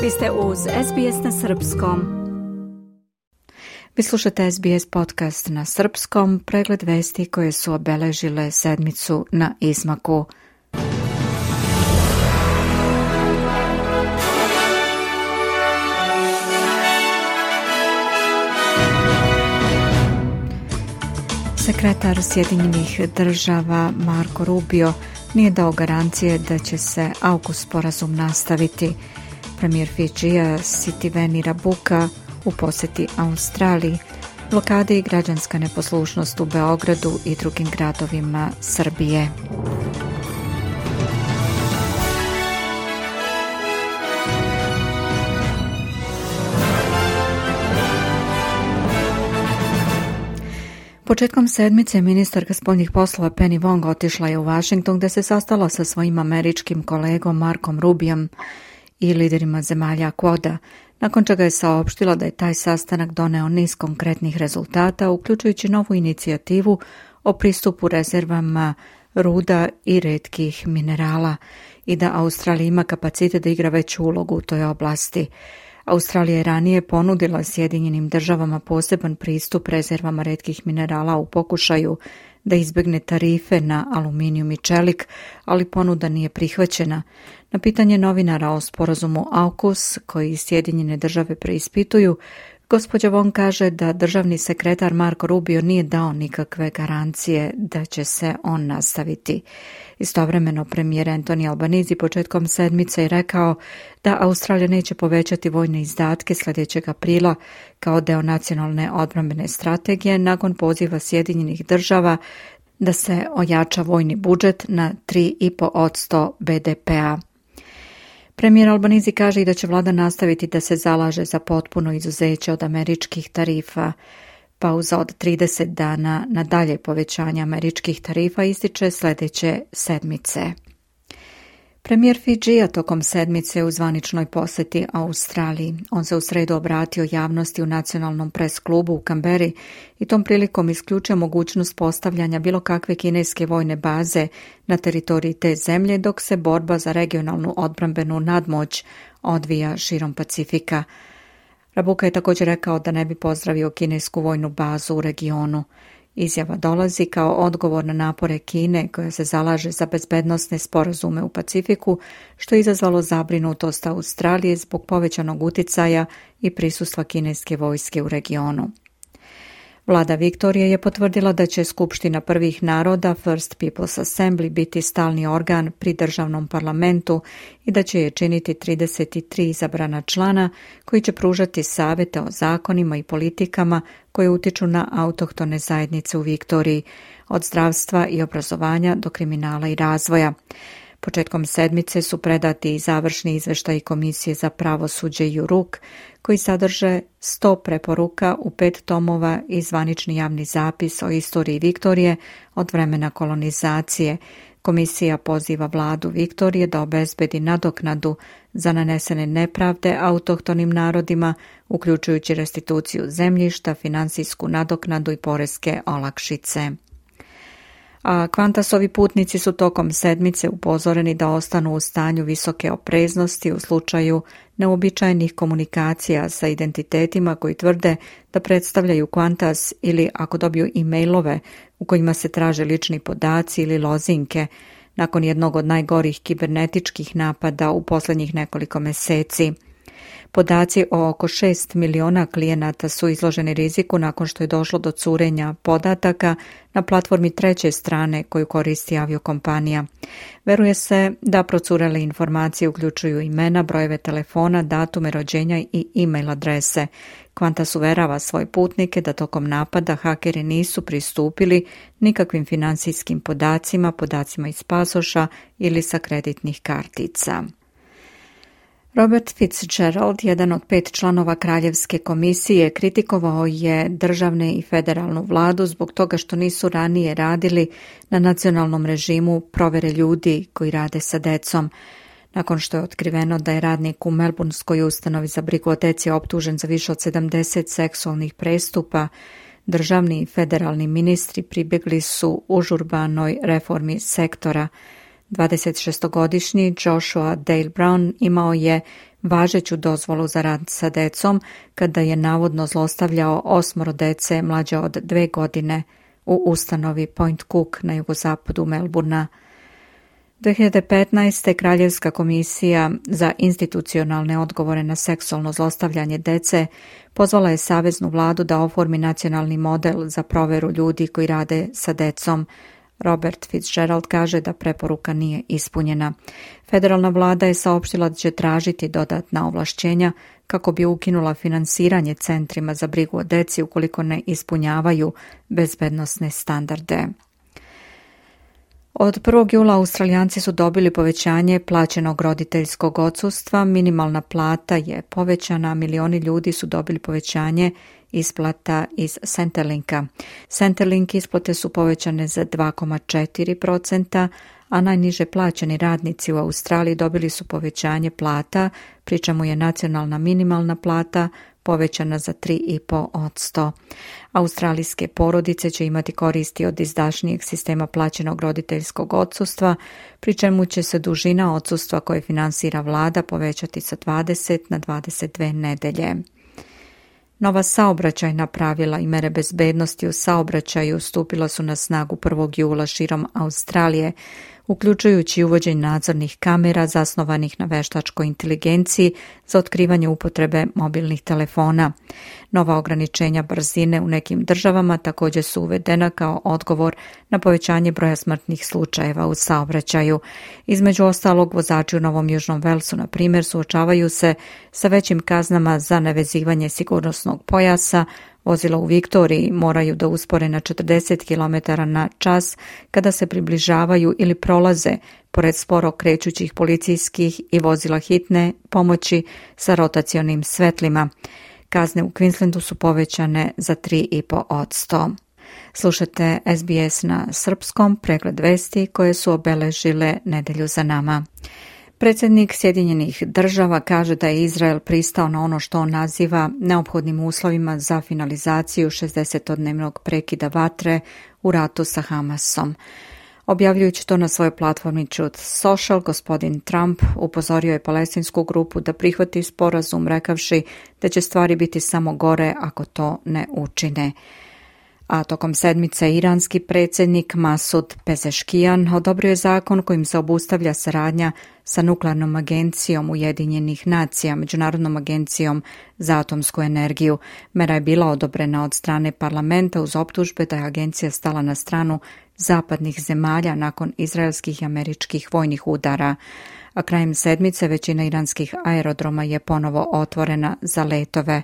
Vi ste uz SBS na srpskom. Vi slušate SBS podcast na srpskom, pregled vesti koje su obeležile sedmicu na izmaku. Sekretar Sjedinjenih država Marco Rubio nije dao garancije da će se AUKUS sporazum nastaviti. Premijer Fidžija Sitiveni Rabuka u posjeti Australiji, blokade i građanska neposlušnost u Beogradu i drugim gradovima Srbije. Početkom sedmice ministarka spoljnih poslova Penny Wong otišla je u Washington gdje se sastala sa svojim američkim kolegom Markom Rubijom i liderima zemalja Quada, nakon čega je saopštila da je taj sastanak doneo niz konkretnih rezultata, uključujući novu inicijativu o pristupu rezervama ruda i retkih minerala i da Australija ima kapacitet da igra veću ulogu u toj oblasti. Australija je ranije ponudila Sjedinjenim državama poseban pristup rezervama retkih minerala u pokušaju da izbjegne tarife na aluminijum i čelik, ali ponuda nije prihvaćena. Na pitanje novinara o sporazumu AUKUS, koji Sjedinjene države preispituju, gospođa Wong kaže da državni sekretar Marco Rubio nije dao nikakve garancije da će se on nastaviti. Istovremeno premijer Anthony Albanese početkom sedmice je rekao da Australija neće povećati vojne izdatke sljedećeg aprila kao deo nacionalne odbrambene strategije nakon poziva Sjedinjenih država da se ojača vojni budžet na 3,5% BDP-a. Premijer Albanese kaže i da će vlada nastaviti da se zalaže za potpuno izuzeće od američkih tarifa. Pauza od 30 dana na dalje povećanje američkih tarifa ističe sljedeće sedmice. Premijer Fidžija tokom sedmice u zvaničnoj posjeti Australiji. On se u sredu obratio javnosti u nacionalnom pres klubu u Kamberi i tom prilikom isključio mogućnost postavljanja bilo kakve kineske vojne baze na teritoriji te zemlje dok se borba za regionalnu odbrambenu nadmoć odvija širom Pacifika. Rabuka je također rekao da ne bi pozdravio kinesku vojnu bazu u regionu. Izjava dolazi kao odgovor na napore Kine koja se zalaže za bezbednosne sporazume u Pacifiku, što je izazvalo zabrinutost Australije zbog povećanog uticaja i prisustva kineske vojske u regionu. Vlada Viktorije je potvrdila da će Skupština prvih naroda First People's Assembly biti stalni organ pri državnom parlamentu i da će je činiti 33 izabrana člana koji će pružati savjete o zakonima i politikama koje utiču na autohtone zajednice u Viktoriji, od zdravstva i obrazovanja do kriminala i razvoja. Početkom sedmice su predati i završni izvještaji Komisije za pravosuđe JURUK, koji sadrže 100 preporuka u 5 tomova i zvanični javni zapis o istoriji Viktorije od vremena kolonizacije. Komisija poziva vladu Viktorije da obezbedi nadoknadu za nanesene nepravde autohtonim narodima, uključujući restituciju zemljišta, financijsku nadoknadu i poreske olakšice. A Qantasovi putnici su tokom sedmice upozoreni da ostanu u stanju visoke opreznosti u slučaju neuobičajenih komunikacija sa identitetima koji tvrde da predstavljaju Qantas ili ako dobiju e-mailove u kojima se traže lični podaci ili lozinke nakon jednog od najgorih kibernetičkih napada u posljednjih nekoliko mjeseci. Podaci o oko 6 miliona klijenata su izloženi riziku nakon što je došlo do curenja podataka na platformi treće strane koju koristi aviokompanija. Veruje se da procurele informacije uključuju imena, brojeve telefona, datume rođenja i e-mail adrese. Qantas uverava svoje putnike da tokom napada hakeri nisu pristupili nikakvim financijskim podacima, podacima iz pasoša ili sa kreditnih kartica. Robert Fitzgerald, jedan od 5 članova Kraljevske komisije, kritikovao je državne i federalnu vladu zbog toga što nisu ranije radili na nacionalnom režimu provjere ljudi koji rade sa decom. Nakon što je otkriveno da je radnik u Melbourneskoj ustanovi za brigu o deci optužen za više od 70 seksualnih prestupa, državni i federalni ministri pribjegli su užurbanoj reformi sektora. 26-godišnji Joshua Dale Brown imao je važeću dozvolu za rad sa decom kada je navodno zlostavljao 8 dece mlađe od 2 godine u ustanovi Point Cook na jugozapadu Melbournea. 2015. Kraljevska komisija za institucionalne odgovore na seksualno zlostavljanje dece pozvala je saveznu vladu da oformi nacionalni model za proveru ljudi koji rade sa decom. Robert Fitzgerald kaže da preporuka nije ispunjena. Federalna vlada je saopštila da će tražiti dodatna ovlašćenja kako bi ukinula finansiranje centrima za brigu o deci ukoliko ne ispunjavaju bezbednosne standarde. Od 1. jula Australijanci su dobili povećanje plaćenog roditeljskog odsustva, minimalna plata je povećana, milioni ljudi su dobili povećanje isplata iz Centrelinka. Centrelink isplate su povećane za 2,4%, a najniže plaćeni radnici u Australiji dobili su povećanje plata, pri čemu je nacionalna minimalna plata povećana za 3,5%. Australijske porodice će imati koristi od izdašnijeg sistema plaćenog roditeljskog odsustva, pri čemu će se dužina odsustva koje finansira vlada povećati sa 20 na 22 nedelje. Nova saobraćajna pravila i mere bezbednosti u saobraćaju stupila su na snagu 1. jula širom Australije, uključujući uvođenje nadzornih kamera zasnovanih na veštačkoj inteligenciji za otkrivanje upotrebe mobilnih telefona. Nova ograničenja brzine u nekim državama također su uvedena kao odgovor na povećanje broja smrtnih slučajeva u saobraćaju. Između ostalog, vozači u Novom Južnom Velsu, na primjer, suočavaju se sa većim kaznama za nevezivanje sigurnosnog pojasa. Vozila u Viktoriji moraju da uspore na 40 km na čas kada se približavaju ili prolaze pored sporo krećućih policijskih i vozila hitne pomoći sa rotacionim svetlima. Kazne u Queenslandu su povećane za 3,5%. Slušate SBS na srpskom, pregled vesti koje su obeležile nedelju za nama. Predsjednik Sjedinjenih država kaže da je Izrael pristao na ono što on naziva neophodnim uslovima za finalizaciju 60-dnevnog prekida vatre u ratu sa Hamasom. Objavljujući to na svojoj platformi Truth Social, gospodin Trump upozorio je palestinsku grupu da prihvati sporazum, rekavši da će stvari biti samo gore ako to ne učine. A tokom sedmice iranski predsjednik Masud Pezeškijan odobrio je zakon kojim se obustavlja saradnja sa nuklearnom agencijom Ujedinjenih nacija, Međunarodnom agencijom za atomsku energiju. Mera je bila odobrena od strane parlamenta uz optužbe da je agencija stala na stranu zapadnih zemalja nakon izraelskih i američkih vojnih udara. A krajem sedmice većina iranskih aerodroma je ponovo otvorena za letove.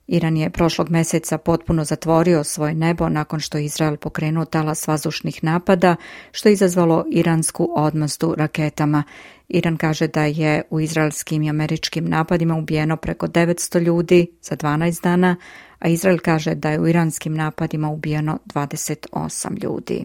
Iran je prošlog mjeseca potpuno zatvorio svoje nebo nakon što je Izrael pokrenuo talas vazdušnih napada, što je izazvalo iransku odmazdu raketama. Iran kaže da je u izraelskim i američkim napadima ubijeno preko 900 ljudi za 12 dana, a Izrael kaže da je u iranskim napadima ubijeno 28 ljudi.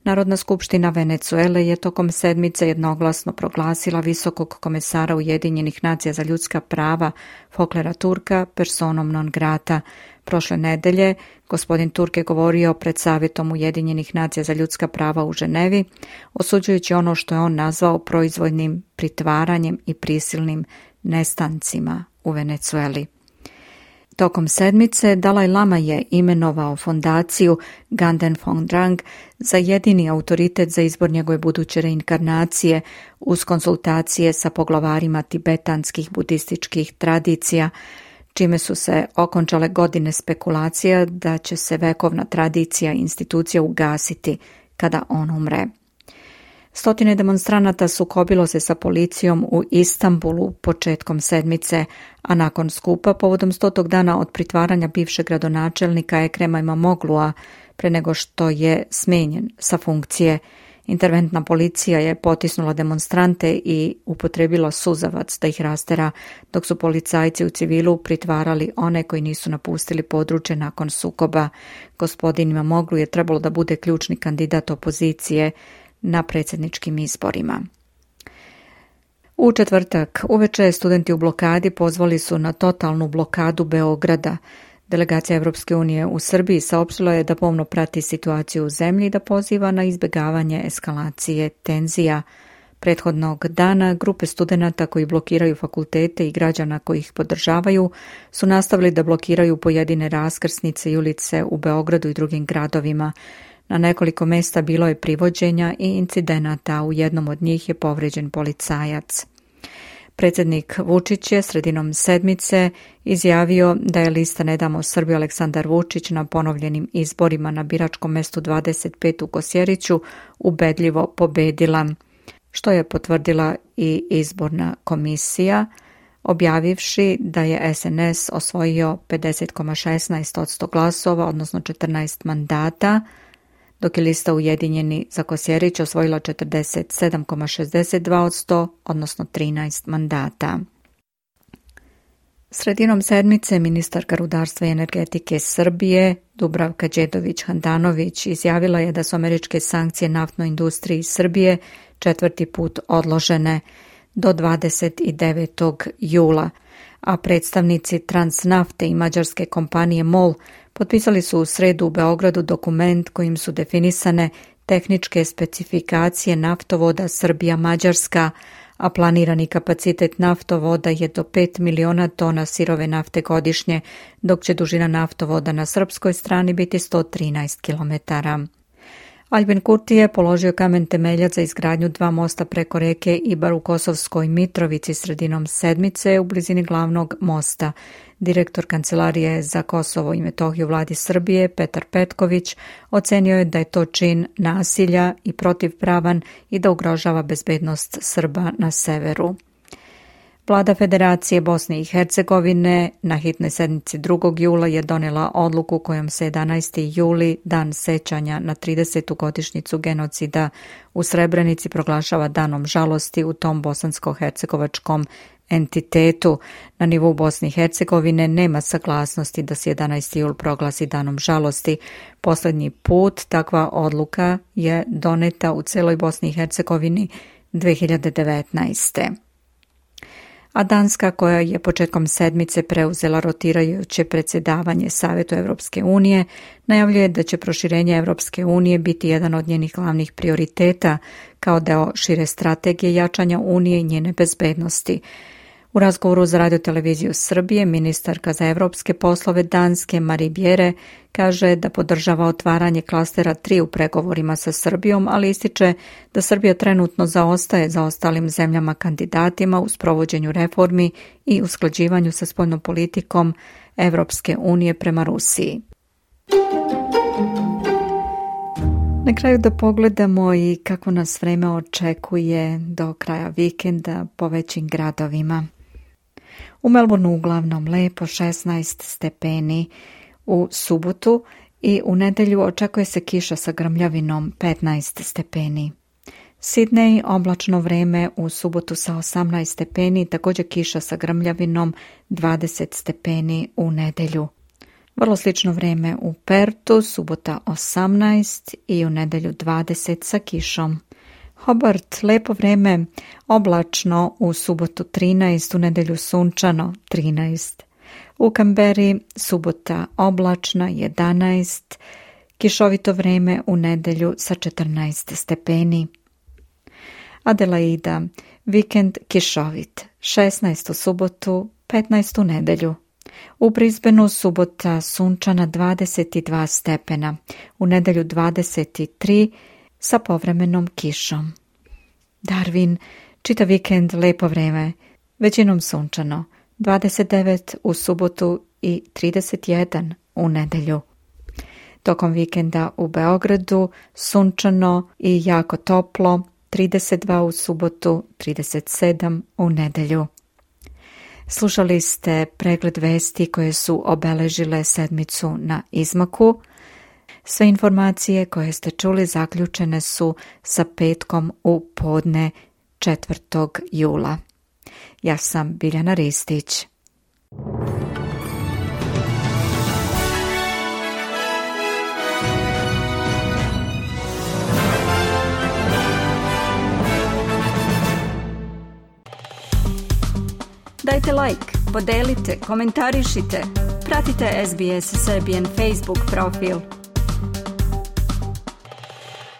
Narodna skupština Venezuele je tokom sedmice jednoglasno proglasila visokog komesara Ujedinjenih nacija za ljudska prava Volkera Turka personom non grata. Prošle nedelje gospodin Turk je govorio pred Savjetom Ujedinjenih nacija za ljudska prava u Ženevi, osuđujući ono što je on nazvao proizvoljnim pritvaranjem i prisilnim nestancima u Venezueli. Tokom sedmice Dalaj Lama je imenovao fondaciju Ganden Phom Drang za jedini autoritet za izbor njegove buduće reinkarnacije uz konsultacije sa poglavarima tibetanskih budističkih tradicija, čime su se okončale godine spekulacija da će se vekovna tradicija i institucija ugasiti kada on umre. Stotine demonstranata sukobilo se sa policijom u Istanbulu početkom sedmice, a nakon skupa povodom 100. dana od pritvaranja bivšeg gradonačelnika Ekrema Imamoglua pre nego što je smenjen sa funkcije. Interventna policija je potisnula demonstrante i upotrebila suzavac da ih rastera, dok su policajci u civilu pritvarali one koji nisu napustili područje nakon sukoba. Gospodin Imamoglu je trebalo da bude ključni kandidat opozicije na predsjedničkim izborima. U četvrtak uveče studenti u blokadi pozvali su na totalnu blokadu Beograda. Delegacija Evropske unije u Srbiji saopštila je da pomno prati situaciju u zemlji i da poziva na izbjegavanje eskalacije tenzija. Prethodnog dana grupe studenata koji blokiraju fakultete i građana koji ih podržavaju su nastavili da blokiraju pojedine raskrsnice i ulice u Beogradu i drugim gradovima. Na nekoliko mesta bilo je privođenja i incidenata, a u jednom od njih je povređen policajac. Predsjednik Vučić je sredinom sedmice izjavio da je lista Ne damo Srbiju Aleksandar Vučić na ponovljenim izborima na biračkom mestu 25 u Kosjeriću ubedljivo pobedila, što je potvrdila i izborna komisija, objavivši da je SNS osvojio 50,16% glasova, odnosno 14 mandata, dok je lista Ujedinjeni za Kosjerić osvojila 47,62%, odnosno 13 mandata. Sredinom sedmice ministarka rudarstva i energetike Srbije Dubravka Đedović-Handanović izjavila je da su američke sankcije naftnoj industriji Srbije 4. put odložene do 29. jula, a predstavnici Transnafte i mađarske kompanije MOL potpisali su u sredu u Beogradu dokument kojim su definisane tehničke specifikacije naftovoda Srbija-Mađarska, a planirani kapacitet naftovoda je do 5 miliona tona sirove nafte godišnje, dok će dužina naftovoda na srpskoj strani biti 113 kilometara. Aljbin Kurti je položio kamen temeljac za izgradnju 2 mosta preko reke Ibar u Kosovskoj Mitrovici sredinom sedmice u blizini glavnog mosta. Direktor Kancelarije za Kosovo i Metohiju vladi Srbije Petar Petković ocenio je da je to čin nasilja i protivpravan i da ugrožava bezbednost Srba na severu. Vlada Federacije Bosne i Hercegovine na hitnoj sednici 2. jula je donela odluku kojom se 11. juli, dan sećanja na 30. godišnjicu genocida u Srebrenici, proglašava danom žalosti u tom bosansko-hercegovačkom entitetu. Na nivou Bosne i Hercegovine nema saglasnosti da se 11. jul proglasi danom žalosti. Poslednji put takva odluka je doneta u celoj Bosni i Hercegovini 2019. A Danska, koja je početkom sedmice preuzela rotirajuće predsjedavanje Savetu Evropske unije, najavljuje da će proširenje Evropske unije biti jedan od njenih glavnih prioriteta kao deo šire strategije jačanja unije i njene bezbednosti. U razgovoru za radioteleviziju Srbije, ministarka za evropske poslove Danske Marie Bjerre kaže da podržava otvaranje klastera 3 u pregovorima sa Srbijom, ali ističe da Srbija trenutno zaostaje za ostalim zemljama kandidatima u sprovođenju reformi i usklađivanju sa spoljnom politikom Evropske unije prema Rusiji. Na kraju da pogledamo i kako nas vreme očekuje do kraja vikenda po većim gradovima. U Melbourneu uglavnom lepo 16 stepeni, u subotu i u nedelju očekuje se kiša sa grmljavinom 15 stepeni. Sidney oblačno vreme u subotu sa 18 stepeni, također kiša sa grmljavinom 20 stepeni u nedelju. Vrlo slično vreme u Pertu, subota 18 i u nedelju 20 sa kišom. Hobart, lepo vreme, oblačno u subotu 13, u nedelju sunčano 13. U Kamberi subota oblačna 11, kišovito vreme u nedelju sa 14 stepeni. Adelaida, vikend kišovit, 16 u subotu, 15 u nedelju. U Brisbaneu subota sunčana 22 stepena, u nedelju 23 sa povremenom kišom. Darwin, čitav vikend lepo vreme, većinom sunčano, 29 u subotu i 31 u nedelju. Tokom vikenda u Beogradu sunčano i jako toplo, 32 u subotu, 37 u nedelju. Slušali ste pregled vesti koje su obeležile sedmicu na izmaku. Sve informacije koje ste čuli zaključene su sa petkom u podne 4. jula. Ja sam Biljana Ristić. Dajte like, podelite, komentarišite. Pratite SBS Serbian Facebook profil.